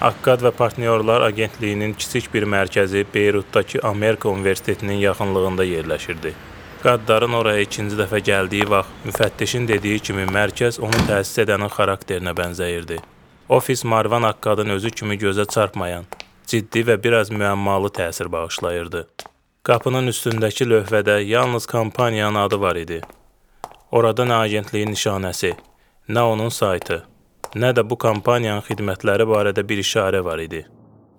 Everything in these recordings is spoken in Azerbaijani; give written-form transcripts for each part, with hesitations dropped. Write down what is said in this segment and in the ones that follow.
Akkad və Partnyorlar Agentliyinin kiçik bir mərkəzi Beyrutdakı Amerika Universitetinin yaxınlığında yerləşirdi. Qaddarın oraya ikinci dəfə gəldiyi vaxt müfəttişin dediyi kimi mərkəz onu təsis edənin xarakterinə bənzəyirdi. Ofis Marvan Akkadın özü kimi gözə çarpmayan, ciddi və biraz müəmmalı təsir bağışlayırdı. Qapının üstündəki lövhədə yalnız kampaniyanın adı var idi. Orada nə agentliyin nişanəsi, nə onun saytı, nə də bu kampaniyanın xidmətləri barədə bir işarə var idi.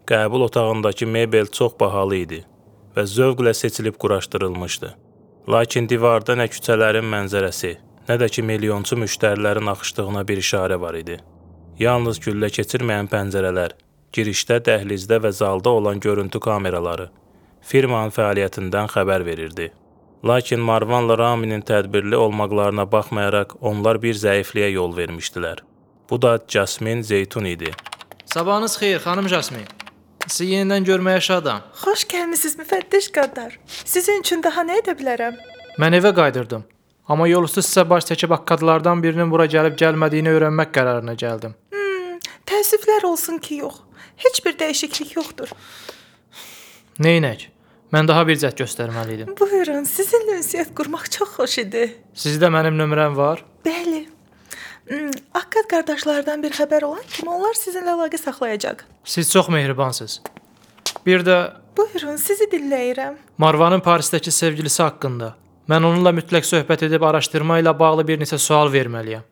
Qəbul otağındakı mebel çox bahalı idi və zövqlə seçilib quraşdırılmışdı. Lakin divarda nə küçələrin mənzərəsi, nə də ki milyonçu müştərilərin axışdığına bir işarə var idi. Yalnız güllə keçirməyən pəncərələr, girişdə, dəhlizdə və zalda olan görüntü kameraları firmanın fəaliyyətindən xəbər verirdi. Lakin Marvanla Raminin tədbirli olmaqlarına baxmayaraq onlar bir zəifliyə yol vermişdilər. Bu da Jasmin Zeytun idi. Sabahınız xeyir, xanım Jasmin. Sizi yenidən görməyə şadam. Xoş gəlmisiniz müfəttiş Qaddar. Sizin üçün daha nə edə bilərəm? Mən evə qayıdırdım. Amma yol üstü sizə baş çəkib akkadlardan birinin bura gəlib gəlmədiyini öyrənmək qərarına gəldim. Təəssüflər olsun ki, yox. Heç bir dəyişiklik yoxdur. Neynək? Mən daha bir cəhd göstərməli idim. Buyurun, sizinlə ünsiyyət qurmaq çox xoş idi. Sizdə mənim nömrəm var? Bəli. Akkad qardaşlardan bir xəbər olan kimi onlar sizinlə əlaqə saxlayacaq. Siz çox mehribansınız. Bir də Buyurun, sizi dinləyirəm. Marvanın Parisdəki sevgilisi haqqında. Mən onunla mütləq söhbət edib araşdırma ilə bağlı bir neçə sual verməliyəm.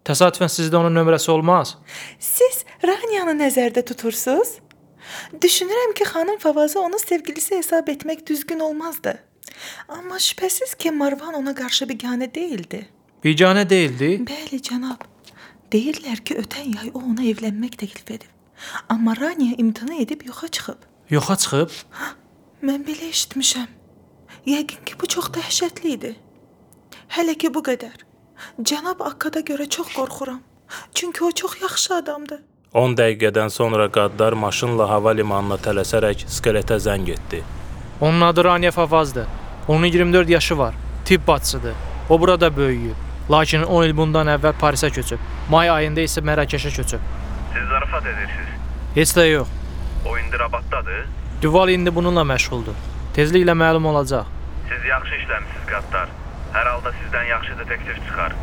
Təsadüfən sizdə onun nömrəsi olmaz? Siz Raniyanı nəzərdə tutursunuz? Düşünürəm ki, xanım Favaza onun sevgilisi hesab etmək düzgün olmazdı. Amma şübhəsiz ki, Marvan ona qarşı biganə deyildi. Biganə deyildi? Bəli, cənab. Deyirlər ki, ötən yay o ona evlənmək təklif edib. Amma Raniya imtina edib yoxa çıxıb. Yoxa çıxıb? Mən belə eşitmişəm. Yəqin ki, bu çox dəhşətli idi. Hələ ki, bu qədər. Cənab Akkada görə çox qorxuram. Çünki o çox yaxşı adamdır. 10 dəqiqədən sonra Qaddar maşınla hava limanına tələsərək skeletə zəng etdi. Onun adı Raniya Favazdır. Onun 24 yaşı var. Tibb bacısıdır. O burada böyüyüb. Lakin 10 il bundan əvvəl Parisə köçüb. May ayında isə Mərakeşə köçüb. Siz zarafat edirsiniz. Heç də yox. O indi Rabatdadır. Duval indi bununla məşğuldur. Tezliklə məlum olacaq. Siz yaxşı işləmisiniz Qaddar. Hər halda sizdən yaxşı detektiv çıxar.